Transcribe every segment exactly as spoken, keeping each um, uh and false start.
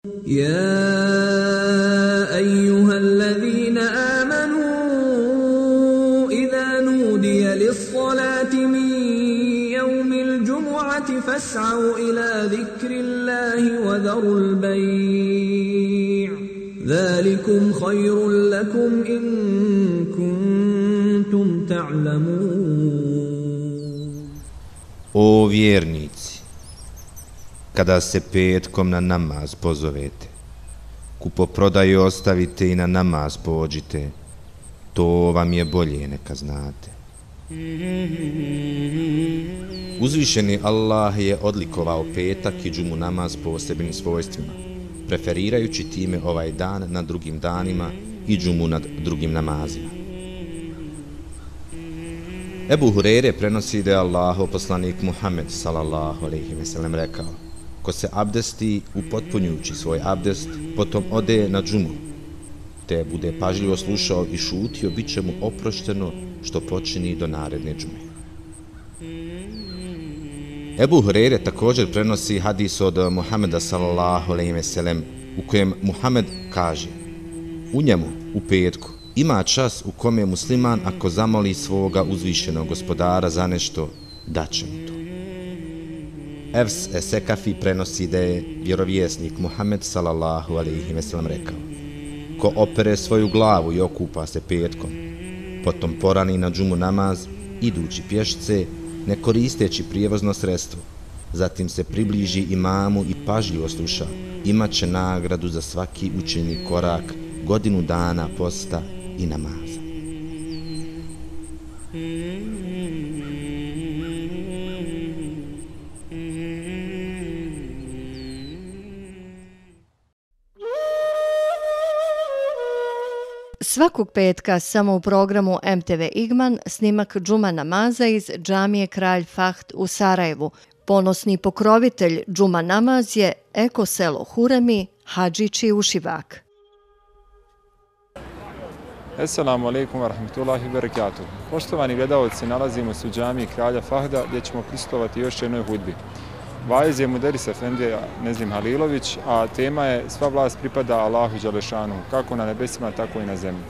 يا أيها الذين آمنوا إذا نودي للصلاة من يوم الجمعة فاسعوا إلى ذكر الله وذروا البيع ذلكم خير لكم إن كنتم تعلمون. O vjernici, kada se petkom na namaz pozovete, kupoprodaju ostavite i na namaz pođite, to vam je bolje neka znate. Uzvišeni Allah je odlikovao petak i džumu namaz posebnim svojstvima, preferirajući time ovaj dan nad drugim danima i džumu nad drugim namazima. Ebu Hureyre prenosi da je Allahov poslanik Muhammed sallallahu alejhi ve sellem rekao: ko se abdesti upotpunjujući svoj abdest, potom ode na džumu, te bude pažljivo slušao i šutio, bit će mu oprošteno što počini do naredne džume. Ebu Hureyre također prenosi hadis od Muhameda sallallahu alejhi ve sellem u kojem Muhammed kaže: u njemu, u petku, ima čas u kome musliman ako zamoli svoga uzvišenog gospodara za nešto, daće mu to. Evs Esekafi prenosi da je vjerovjesnik Muhammed sallallahu alejhi ve sellem rekao: ko opere svoju glavu i okupa se petkom, potom porani na džumu namaz, idući pješce, ne koristeći prijevozno sredstvo, zatim se približi imamu i pažljivo sluša, imat će nagradu za svaki učeni korak, godinu dana posta i namaza. Svakog petka samo u programu M T V Igman snimak džuma namaza iz džamije Kralj Fahd u Sarajevu. Ponosni pokrovitelj džuma namaz je eko selo Huremi, Hadžići Ušivak. Assalamu alaikum wa rahmatullahi wa barakatuh. Poštovani gledalci, nalazimo se u džamiji Kralja Fahda gdje ćemo prisustvovati još jednoj hudbi. Vaiz je Muderis Efendija Nezim Halilović, a tema je sva vlast pripada Allahu Đelešanu, kako na nebesima, tako i na zemlji.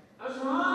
Allah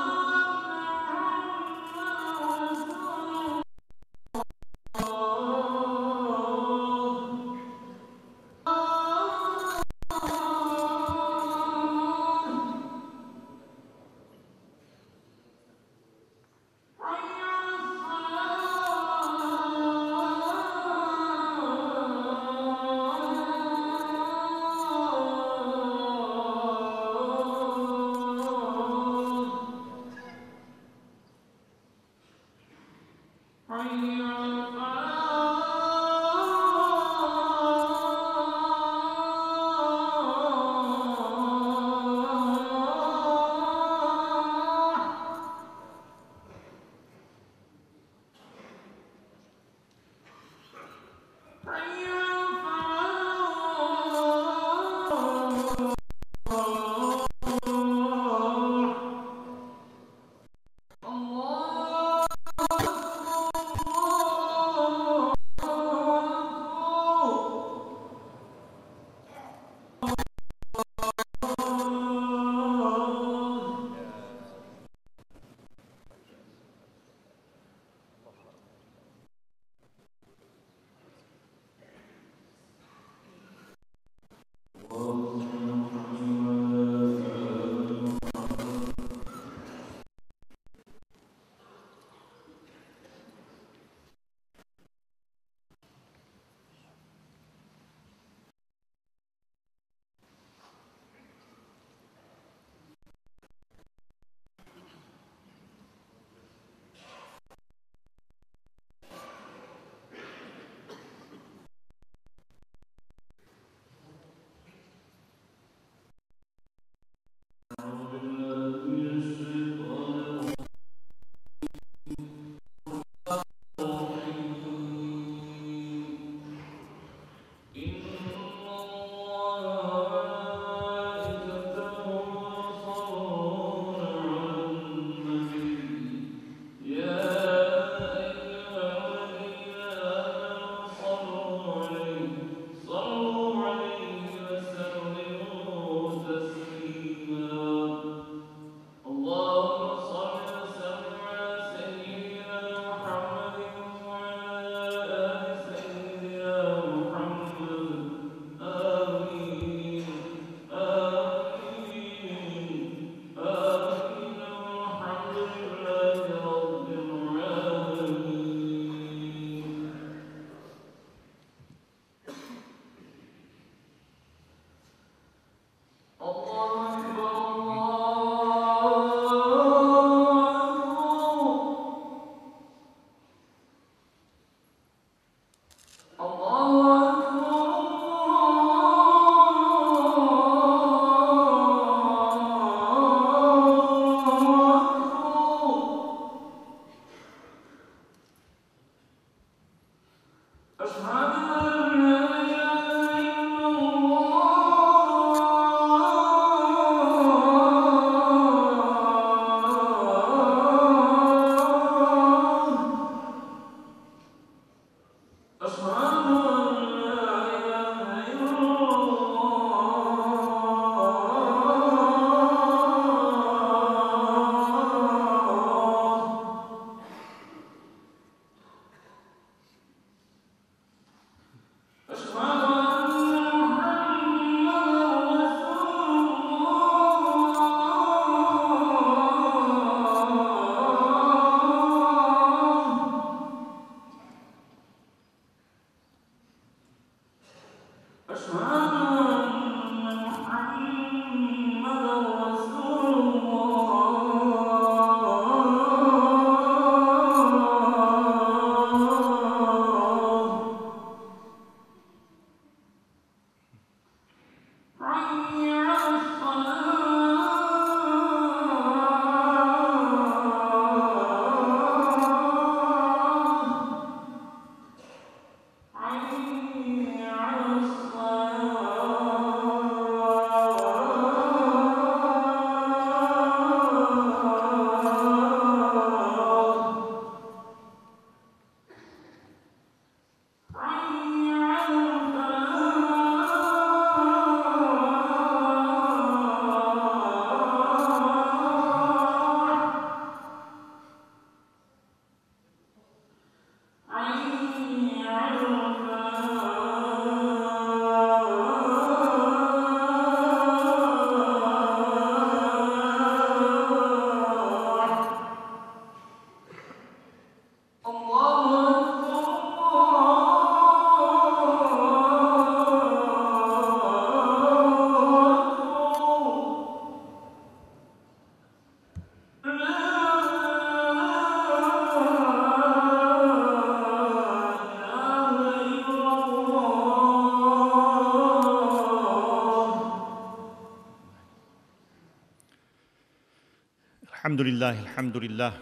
الحمد لله الحمد لله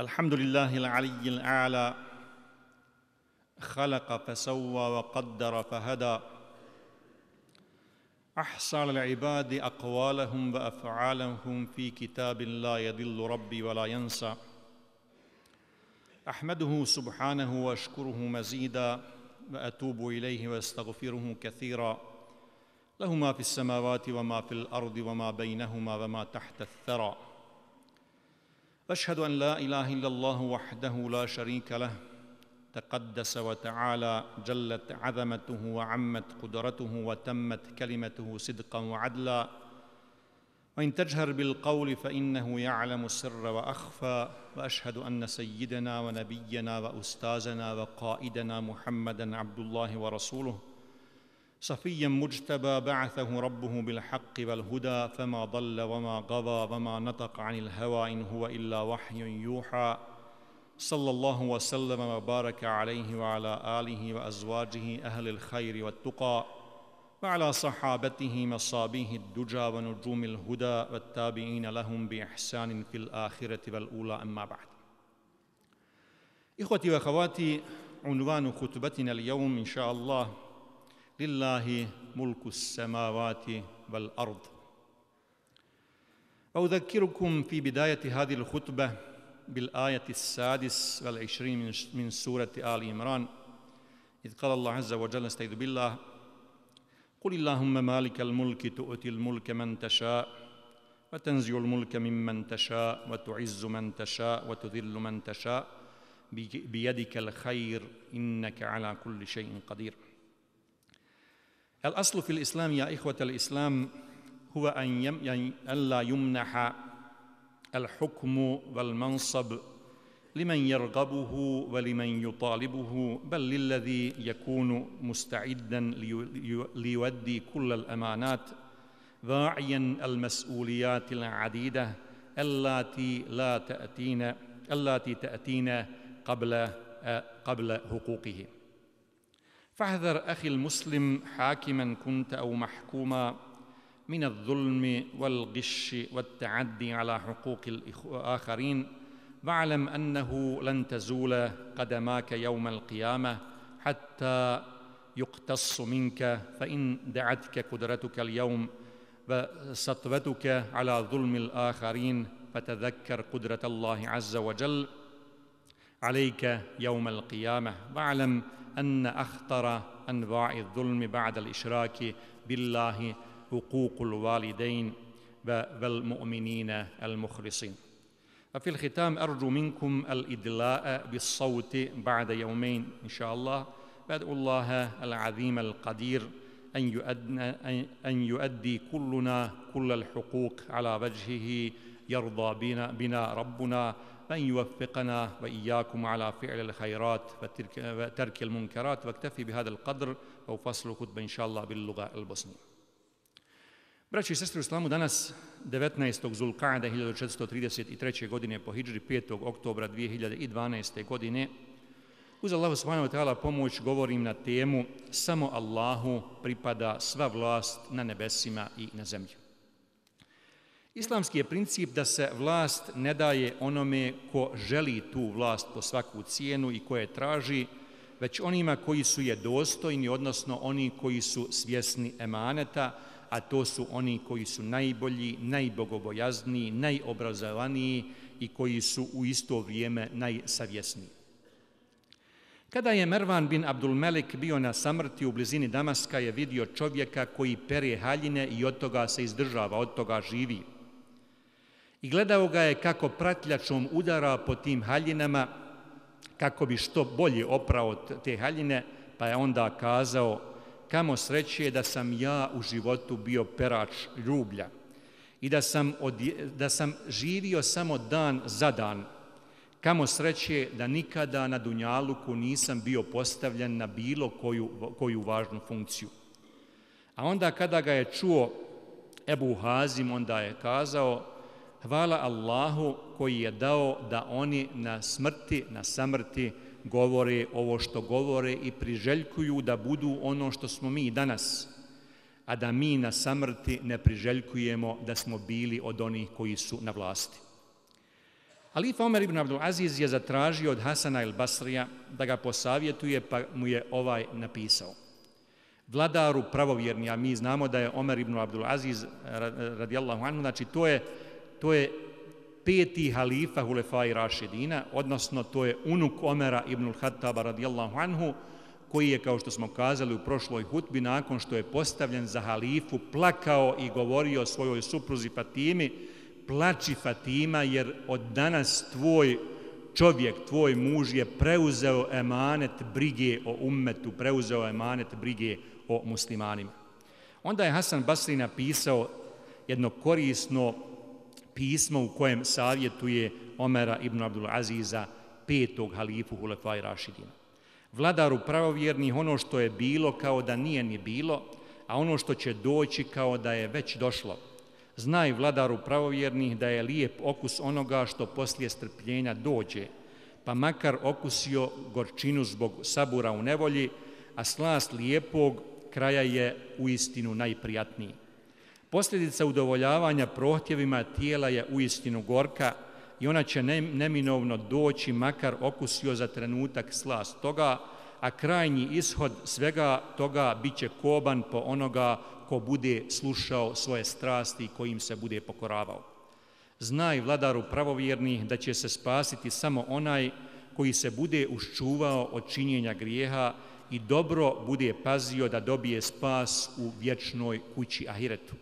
الحمد لله العلي الأعلى خلق فسوى وقدر فهدى أحصى للعباد أقوالهم وأفعالهم في كتاب لا يضل ربي ولا ينسى أحمده سبحانه وأشكره مزيدا وأتوب إليه وأستغفره كثيرا له ما في السماوات وما في الأرض وما بينهما وما تحت الثرى وأشهد أن لا إله إلا الله وحده لا شريك له تقدس وتعالى جلت عظمته وعمت قدرته وتمت كلمته صدقا وعدلا وإن تجهر بالقول فإنه يعلم السر وأخفى وأشهد أن سيدنا ونبينا وأستاذنا وقائدنا محمدًا عبد الله ورسوله صفيًا مجتبى بعثه ربه بالحق والهدى فما ضل وما غضى وما نطق عن الهوى إن هو إلا وحي يوحى صلى الله وسلم وبارك عليه وعلى آله وأزواجه أهل الخير والتقى وعلى صحابته مصابيه الدجى ونجوم الهدى والتابعين لهم بإحسان في الآخرة والأولى أما بعد. إخوتي وأخواتي، عنوان خطبتنا اليوم إن شاء الله لله ملك السماوات والأرض. وأذكركم في بداية هذه الخطبة بالآية السادس والعشرين من سورة آل عمران إذ قال الله عز وجل استعيذ بالله قل اللهم مالك الملك تؤتي الملك من تشاء وتنزع الملك ممن تشاء وتعز من تشاء وتذل من تشاء بيدك الخير إنك على كل شيء قدير. الأصل في الإسلام يا إخوة الإسلام هو أن, يم... أن لا يمنح الحكم والمنصب لمن يرغبه ولمن يطالبه بل للذي يكون مستعدا لي... ليودي كل الأمانات واعيا المسؤوليات العديدة التي لا تأتينا التي تأتينا قبل قبل حقوقه. فاحذر أخي المسلم حاكما كنت أو محكوما من الظلم والغش والتعدي على حقوق الآخرين واعلم أنه لن تزول قدماك يوم القيامة حتى يقتص منك فإن دعتك قدرتك اليوم وسطوتك على ظلم الآخرين فتذكر قدرة الله عز وجل عليك يوم القيامة واعلم أن أخطر أنواع الظلم بعد الإشراك بالله حقوق الوالدين والمؤمنين المخلصين. وفي الختام أرجو منكم الإدلاء بالصوت بعد يومين إن شاء الله وأدعو الله العظيم القدير أن يؤدي, أن يؤدي كلنا كل الحقوق على وجهه يرضى بنا, بنا ربنا وأن يوفقنا وإياكم على فعل الخيرات وترك, وترك المنكرات. واكتفي بهذا القدر وفصل خطبة إن شاء الله باللغة البosnije. Braći i sestre u islamu, danas devetnaestog Zulqa'ada hiljadu četiristo trideset treće. godine po hidžri, petog oktobra dvije hiljade dvanaeste. godine, uz Allahu subhanahu wa ta'ala pomoć govorim na temu samo Allahu pripada sva vlast na nebesima i na zemlji. Islamski je princip da se vlast ne daje onome ko želi tu vlast po svaku cijenu i koje traži, već onima koji su je dostojni, odnosno oni koji su svjesni emaneta, a to su oni koji su najbolji, najbogobojazniji, najobrazovaniji i koji su u isto vrijeme najsavjesniji. Kada je Mervan bin Abdul Melik bio na samrti u blizini Damaska, je vidio čovjeka koji pere haljine i od toga se izdržava, od toga živi. I gledao ga je kako pratljačom udara po tim haljinama, kako bi što bolje oprao te haljine, pa je onda kazao: kamo sreće da sam ja u životu bio perač rublja i da sam, odje, da sam živio samo dan za dan. Kamo sreće da nikada na dunjaluku nisam bio postavljen na bilo koju, koju važnu funkciju. A onda kada ga je čuo Ebu Hazim, onda je kazao: hvala Allahu koji je dao da oni na smrti, na samrti govore ovo što govore i priželjkuju da budu ono što smo mi danas, a da mi na samrti ne priželjkujemo da smo bili od onih koji su na vlasti. Halifa Omer ibn Abdul Aziz je zatražio od Hasana el Basrija da ga posavjetuje, pa mu je ovaj napisao: vladaru pravovjerni, a mi znamo da je Omer ibn Abdul Aziz radijallahu anhu, znači to je, to je peti halifa Hulefai Rašidina, odnosno to je unuk Omera ibn Khattaba radijallahu anhu, koji je, kao što smo kazali u prošloj hutbi, nakon što je postavljen za halifu, plakao i govorio svojoj supruzi Fatimi: plači Fatima, jer od danas tvoj čovjek, tvoj muž je preuzeo emanet brige o ummetu, preuzeo emanet brige o muslimanima. Onda je Hasan Basri napisao jedno korisno pismo u kojem savjetuje Omera ibn Abdul Aziza, petog halifu Hulefai Rašidina. Vladaru pravovjernih, ono što je bilo kao da nije ni bilo, a ono što će doći kao da je već došlo. Znaj, vladaru pravovjernih, da je lijep okus onoga što poslije strpljenja dođe, pa makar okusio gorčinu zbog sabura u nevolji, a slast lijepog kraja je uistinu najprijatniji. Posljedica udovoljavanja prohtjevima tijela je uistinu gorka i ona će neminovno doći, makar okusio za trenutak slast toga, a krajnji ishod svega toga bit će koban po onoga ko bude slušao svoje strasti i kojim se bude pokoravao. Znaj, vladaru pravovjernih, da će se spasiti samo onaj koji se bude uščuvao od činjenja grijeha i dobro bude pazio da dobije spas u vječnoj kući ahiretu.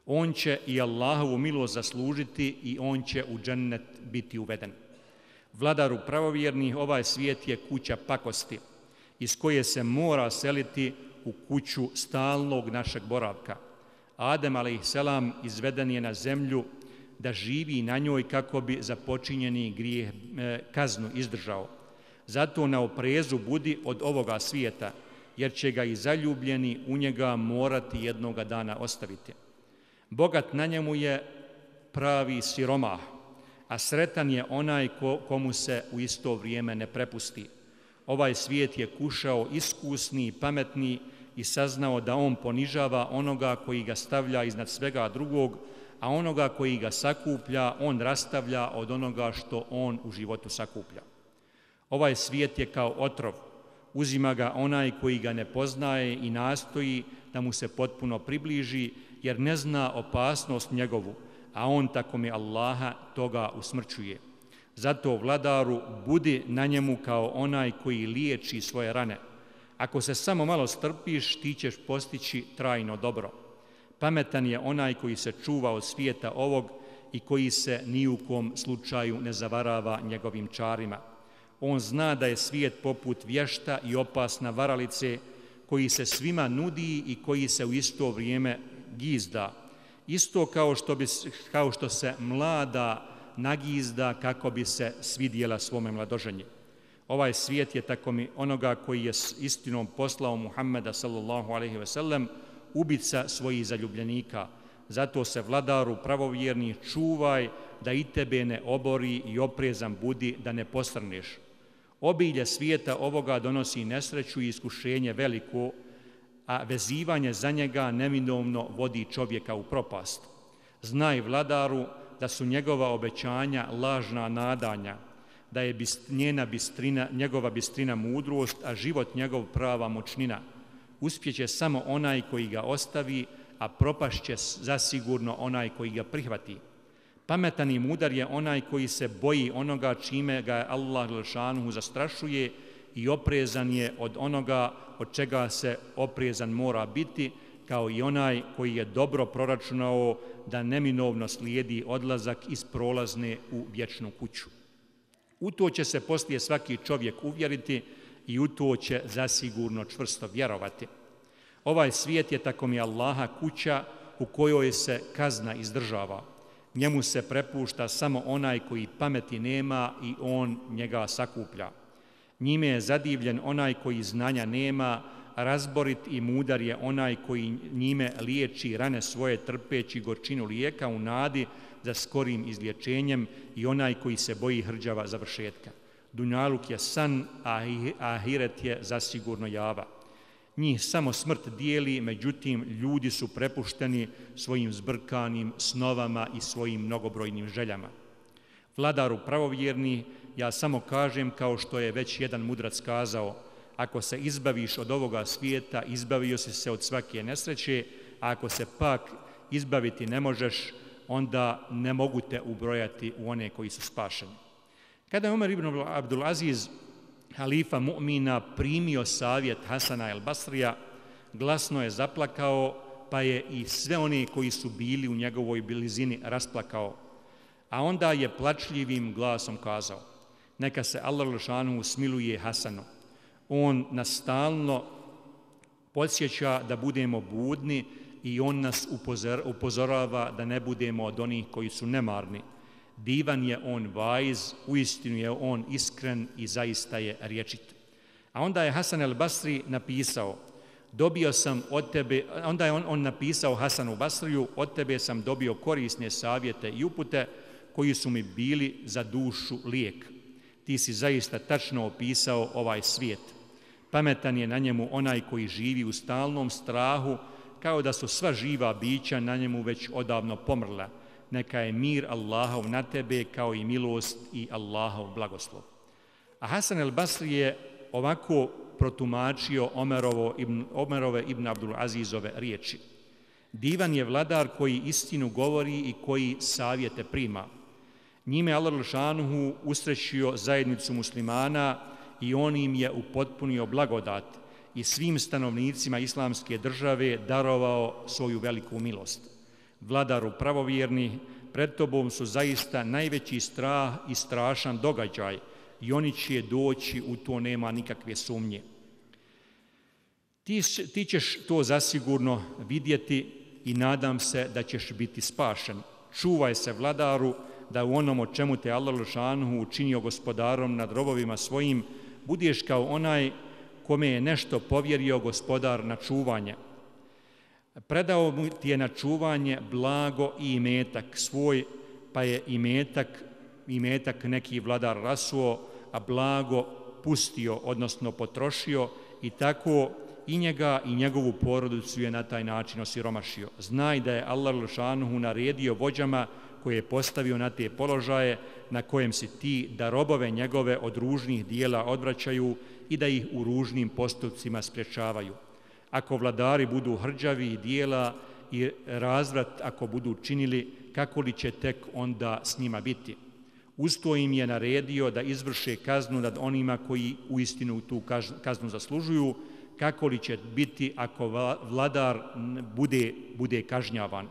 On će i Allahovu milost zaslužiti i on će u džennet biti uveden. Vladaru pravovjernih, ovaj svijet je kuća pakosti, iz koje se mora seliti u kuću stalnog našeg boravka. Adem alejselam izveden je na zemlju da živi na njoj kako bi za počinjeni grijeh e, kaznu izdržao. Zato na oprezu budi od ovoga svijeta, jer će ga i zaljubljeni u njega morati jednoga dana ostaviti. Bogat na njemu je pravi siromah, a sretan je onaj ko, komu se u isto vrijeme ne prepusti. Ovaj svijet je kušao iskusni i pametni i saznao da on ponižava onoga koji ga stavlja iznad svega drugog, a onoga koji ga sakuplja, on rastavlja od onoga što on u životu sakuplja. Ovaj svijet je kao otrov, uzima ga onaj koji ga ne poznaje i nastoji da mu se potpuno približi, jer ne zna opasnost njegovu, a on tako mi Allaha toga usmrćuje. Zato, vladaru, budi na njemu kao onaj koji liječi svoje rane. Ako se samo malo strpiš, ti ćeš postići trajno dobro. Pametan je onaj koji se čuva od svijeta ovog i koji se ni u kom slučaju ne zavarava njegovim čarima. On zna da je svijet poput vješta i opasna varalice koji se svima nudi i koji se u isto vrijeme gizda. Isto kao što, bi, kao što se mlada nagizda kako bi se svidjela svome mladoženji. Ovaj svijet je tako mi onoga koji je s istinom poslao Muhammeda sallallahu alejhi ve sellem ubica svojih zaljubljenika. Zato se, vladaru pravovjerni, čuvaj da i tebe ne obori i oprezan budi da ne posrneš. Obilje svijeta ovoga donosi nesreću i iskušenje veliko, a vezivanje za njega neminovno vodi čovjeka u propast. Znaj, vladaru, da su njegova obećanja lažna nadanja, da je njena bistrina, njegova bistrina mudrost, a život njegov prava moćnina. Uspjeće samo onaj koji ga ostavi, a propašće zasigurno onaj koji ga prihvati. Pametan i mudar je onaj koji se boji onoga čime ga Allah dželešanuhu zastrašuje i oprezan je od onoga od čega se oprezan mora biti, kao i onaj koji je dobro proračunao da neminovno slijedi odlazak iz prolazne u vječnu kuću. U to će se poslije svaki čovjek uvjeriti i u to će zasigurno čvrsto vjerovati. Ovaj svijet je tako mi Allaha kuća u kojoj se kazna izdržava. Njemu se prepušta samo onaj koji pameti nema i on njega sakuplja. Njime je zadivljen onaj koji znanja nema, razborit i mudar je onaj koji njime liječi rane svoje trpeći gorčinu lijeka u nadi za skorim izlječenjem i onaj koji se boji hrđava završetka. Dunjaluk je san, a ahiret je zasigurno java. Njih samo smrt dijeli, međutim ljudi su prepušteni svojim zbrkanim snovama i svojim mnogobrojnim željama. Vladaru pravovjerni, ja samo kažem kao što je već jedan mudrac kazao, ako se izbaviš od ovoga svijeta, izbavio si se od svake nesreće, a ako se pak izbaviti ne možeš, onda ne mogu te ubrojati u one koji su spašeni. Kada je Omer ibn Abdul Aziz, halifa mu'mina, primio savjet Hasana el Basrija, glasno je zaplakao, pa je i sve oni koji su bili u njegovoj blizini rasplakao. A onda je plačljivim glasom kazao, neka se Allah dželešanuhu smiluje Hasanu. On nas stalno podsjeća da budemo budni i on nas upozorava da ne budemo od onih koji su nemarni. Divan je on vajz, uistinu je on iskren i zaista je rječit. A onda je Hasan el Basri napisao, dobio sam od tebe, onda je on, on napisao Hasanu Basriju, od tebe sam dobio korisne savjete i upute koji su mi bili za dušu lijek. Ti si zaista tačno opisao ovaj svijet. Pametan je na njemu onaj koji živi u stalnom strahu, kao da su sva živa bića na njemu već odavno pomrla. Neka je mir Allahov na tebe kao i milost i Allahov blagoslov. A Hasan el Basri je ovako protumačio Omerovo ibn, Omerove ibn Abdul Azizove riječi. Divan je vladar koji istinu govori i koji savjete prima. Njime Allah dželešanuhu usrećio zajednicu muslimana i on im je upotpunio blagodat i svim stanovnicima islamske države darovao svoju veliku milost. Vladaru pravovjerni, pred tobom su zaista najveći strah i strašan događaj i oni će doći, u to nema nikakve sumnje. Ti, ti ćeš to zasigurno vidjeti i nadam se da ćeš biti spašen. Čuvaj se, vladaru, da u onom o čemu te Allah dželešanuhu učinio gospodarom nad robovima svojim, budeš kao onaj kome je nešto povjerio gospodar na čuvanje. Predao mu ti je na čuvanje blago i imetak svoj, pa je imetak, imetak neki vladar rasuo, a blago pustio, odnosno potrošio, i tako i njega i njegovu porodicu je na taj način osiromašio. Znaj da je Allah dželle naredio vođama koje je postavio na te položaje na kojem si ti da robove njegove od ružnih dijela odvraćaju i da ih u ružnim postupcima sprječavaju. Ako vladari budu hrđavi dijela i razvrat ako budu činili, kako li će tek onda s njima biti? Usto im je naredio da izvrše kaznu nad onima koji uistinu tu kaznu zaslužuju, kako li će biti ako vladar bude, bude kažnjavan.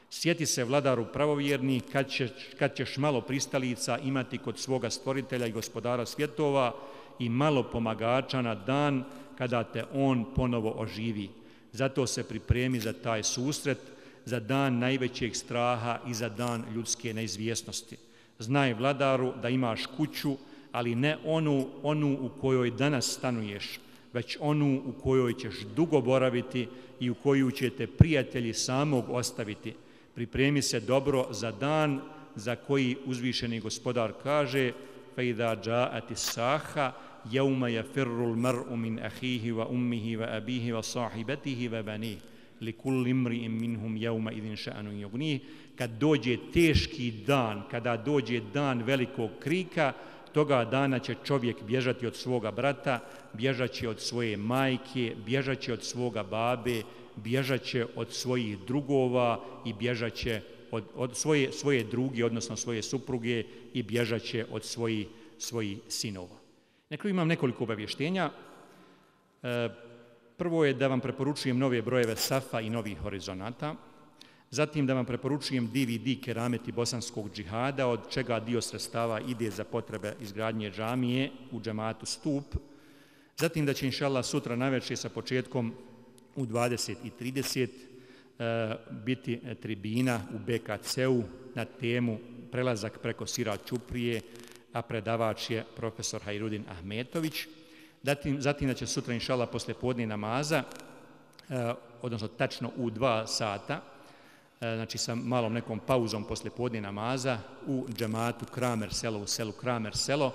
Sjeti se vladaru pravovjerni kad, će, kad ćeš malo pristalica imati kod svoga stvoritelja i gospodara svjetova i malo pomagača na dan kada te on ponovo oživi. Zato se pripremi za taj susret, za dan najvećeg straha i za dan ljudske neizvjesnosti. Znaj vladaru da imaš kuću, ali ne onu, onu u kojoj danas stanuješ, već onu u kojoj ćeš dugo boraviti i u koju će te prijatelji samog ostaviti. Pripremi se dobro za dan za koji uzvišeni gospodar kaže فَإِذَا جَاءَتِ السَّاحَةُ يَوْمَ يَفِرُّ الْمَرْءُ مِنْ أَخِيهِ وَأُمِّهِ وَأَبِيهِ وَصَاحِبَتِهِ وَبَنِيهِ لِكُلِّ امْرِئٍ مِّنْهُمْ يَوْمَئِذٍ شَأْنٌ يُغْنِيهِ. Kad dođe teški dan, kada dođe dan velikog krika, toga dana će čovjek bježati od svoga brata, bježaće od svoje majke, bježaće od svoga babe, bježaće od svojih drugova i bježaće od, od svoje, svoje druge, odnosno svoje supruge i bježaće od svojih, svojih sinova. Nekako imam nekoliko obavještenja. E, prvo je da vam preporučujem nove brojeve Safa i novih horizonata. Zatim da vam preporučujem D V D Kerameti bosanskog džihada, od čega dio sredstava ide za potrebe izgradnje džamije u džematu Stup. Zatim da će inšallah sutra navečer sa početkom u dvadeset i trideset e, biti tribina u B K C-u na temu prelazak preko Sira Ćuprije, a predavač je profesor Hajrudin Ahmetović. Zatim, zatim da će sutra inšallah posle podne namaza, e, odnosno tačno u dva sata, znači sa malom nekom pauzom posle podne namaza u džematu Kramer selo, u selu Kramer selo,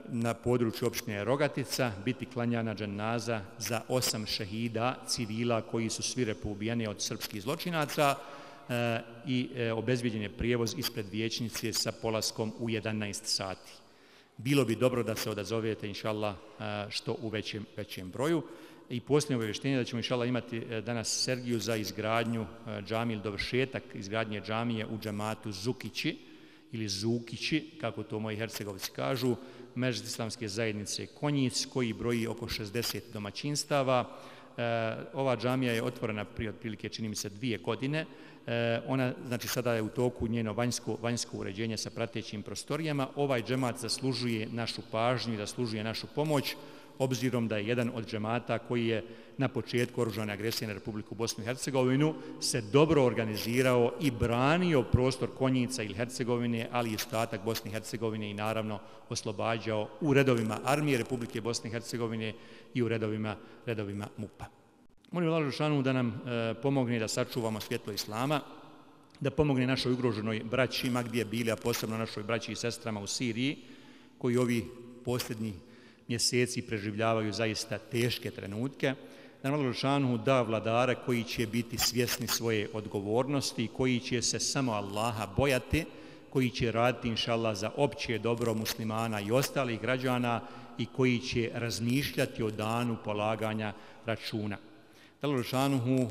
na području opštine Rogatica, biti klanjana dženaza za osam šehida civila koji su svi poubijeni od srpskih zločinaca i obezbijeđen je prijevoz ispred vijećnice sa polaskom u jedanaest sati. Bilo bi dobro da se odazovete, inšallah, što u većem, većem broju. I posljednje obavještenje da ćemo inšallah imati danas Sergiju za izgradnju džamije ili dovršetak izgradnje džamije u džematu Zukići ili Zukići, kako to moji hercegovci kažu, Međlis islamske zajednice Konjic, koji broji oko šezdeset domaćinstava. Ova džamija je otvorena prije otprilike, čini mi se, dvije godine. Ona, znači, sada je u toku njeno vanjsko, vanjsko uređenje sa pratećim prostorijama. Ovaj džemat zaslužuje našu pažnju i zaslužuje našu pomoć, obzirom da je jedan od džemata koji je na početku oružane agresije na Republiku Bosnu i Hercegovinu se dobro organizirao i branio prostor Konjica ili Hercegovine, ali i ostatak Bosne i Hercegovine i naravno oslobađao u redovima armije Republike Bosne i Hercegovine i u redovima, redovima MUP-a. Molim Allah dželešanu da nam e, pomogne da sačuvamo svjetlo Islama, da pomogne našoj ugroženoj braći, ma gdje bili, a posebno našoj braći i sestrama u Siriji, koji ovi posljednji mjeseci preživljavaju zaista teške trenutke, da nam Allah dželešanu da vladare koji će biti svjesni svoje odgovornosti, koji će se samo Allaha bojati, koji će raditi inšallah za opće dobro muslimana i ostalih građana i koji će razmišljati o danu polaganja računa. Da Allah dželešanu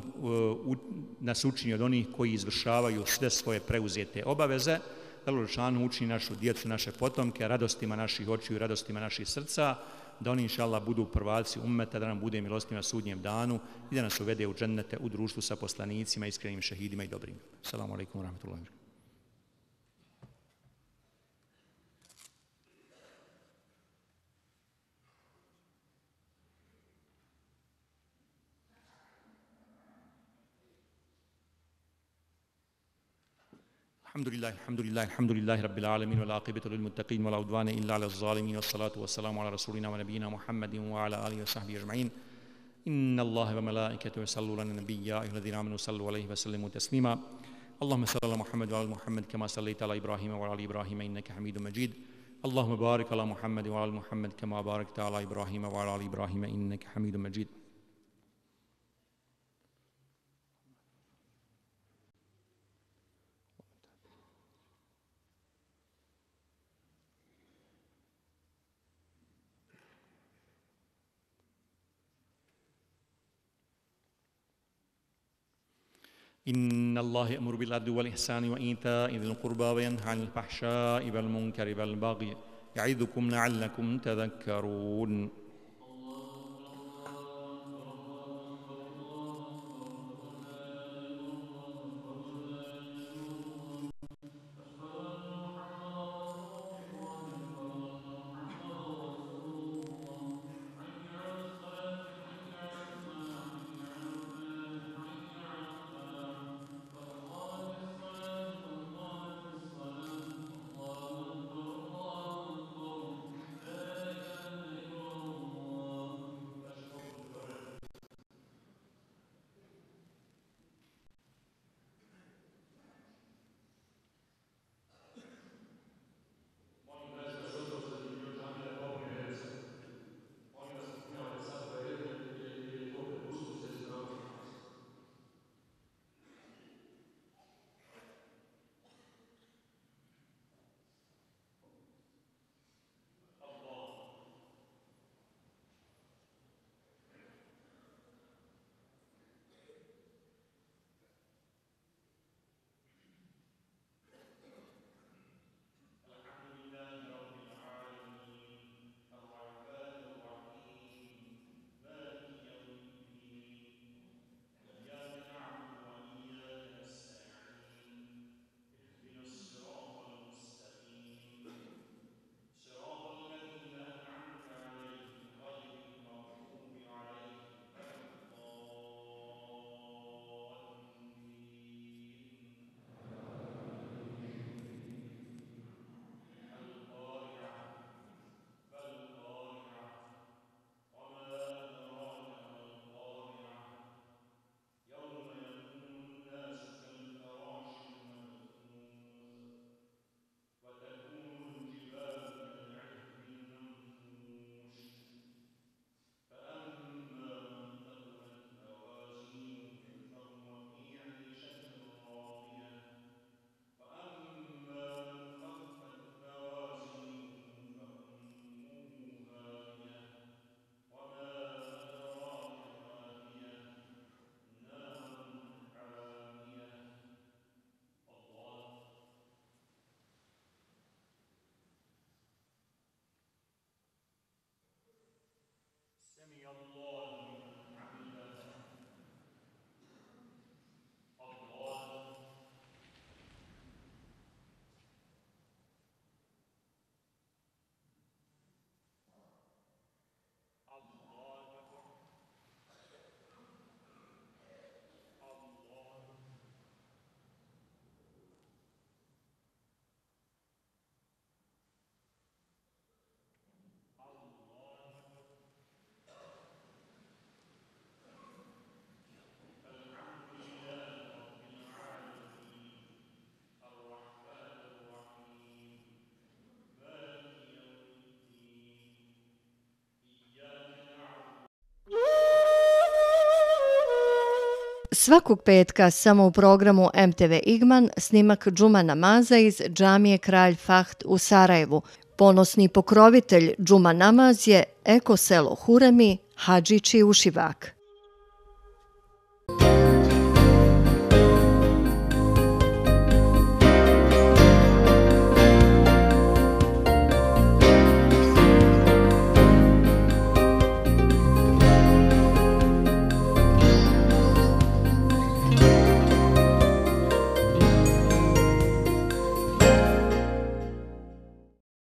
nas učini od onih koji izvršavaju sve svoje preuzete obaveze, da Allah dželešanu učini našu djecu, naše potomke, radostima naših očiju i radostima naših srca, da oni inšallah budu prvaci ummeta, da nam bude milostiv na sudnjem danu i da nas uvede u džennete u društvu sa poslanicima, iskrenim šehidima i dobrim. Assalamu alaikum wa rahmatullahi wa barakatuh. الحمد لله الحمد لله الحمد لله رب العالمين والعاقبة للمتقين ولا عدوان إلا على الظالمين والصلاة والسلام على رسولنا ونبينا محمد وعلى آله وصحبه أجمعين. إن الله وملائكته يصلون على النبي يا أيها الذين آمنوا صلوا عليه وسلموا تسليما. اللهم صل على محمد وعلى محمد كما صليت على إبراهيم وعلى آل إبراهيم إنك حميد مجيد. اللهم بارك على محمد وعلى محمد كما باركت على إبراهيم وعلى آل إبراهيم إنك حميد مجيد. إن الله يأمر بالعدل والإحسان وإيتاء ذي القربى وينهى عن الفحشاء والمنكر والبغي يعظكم لعلكم تذكرون. Svakog petka samo u programu M T V Igman snimak džuma namaza iz džamije Kralj Fahd u Sarajevu. Ponosni pokrovitelj džuma namaz je eko selo Huremi, Hadžići Ušivak.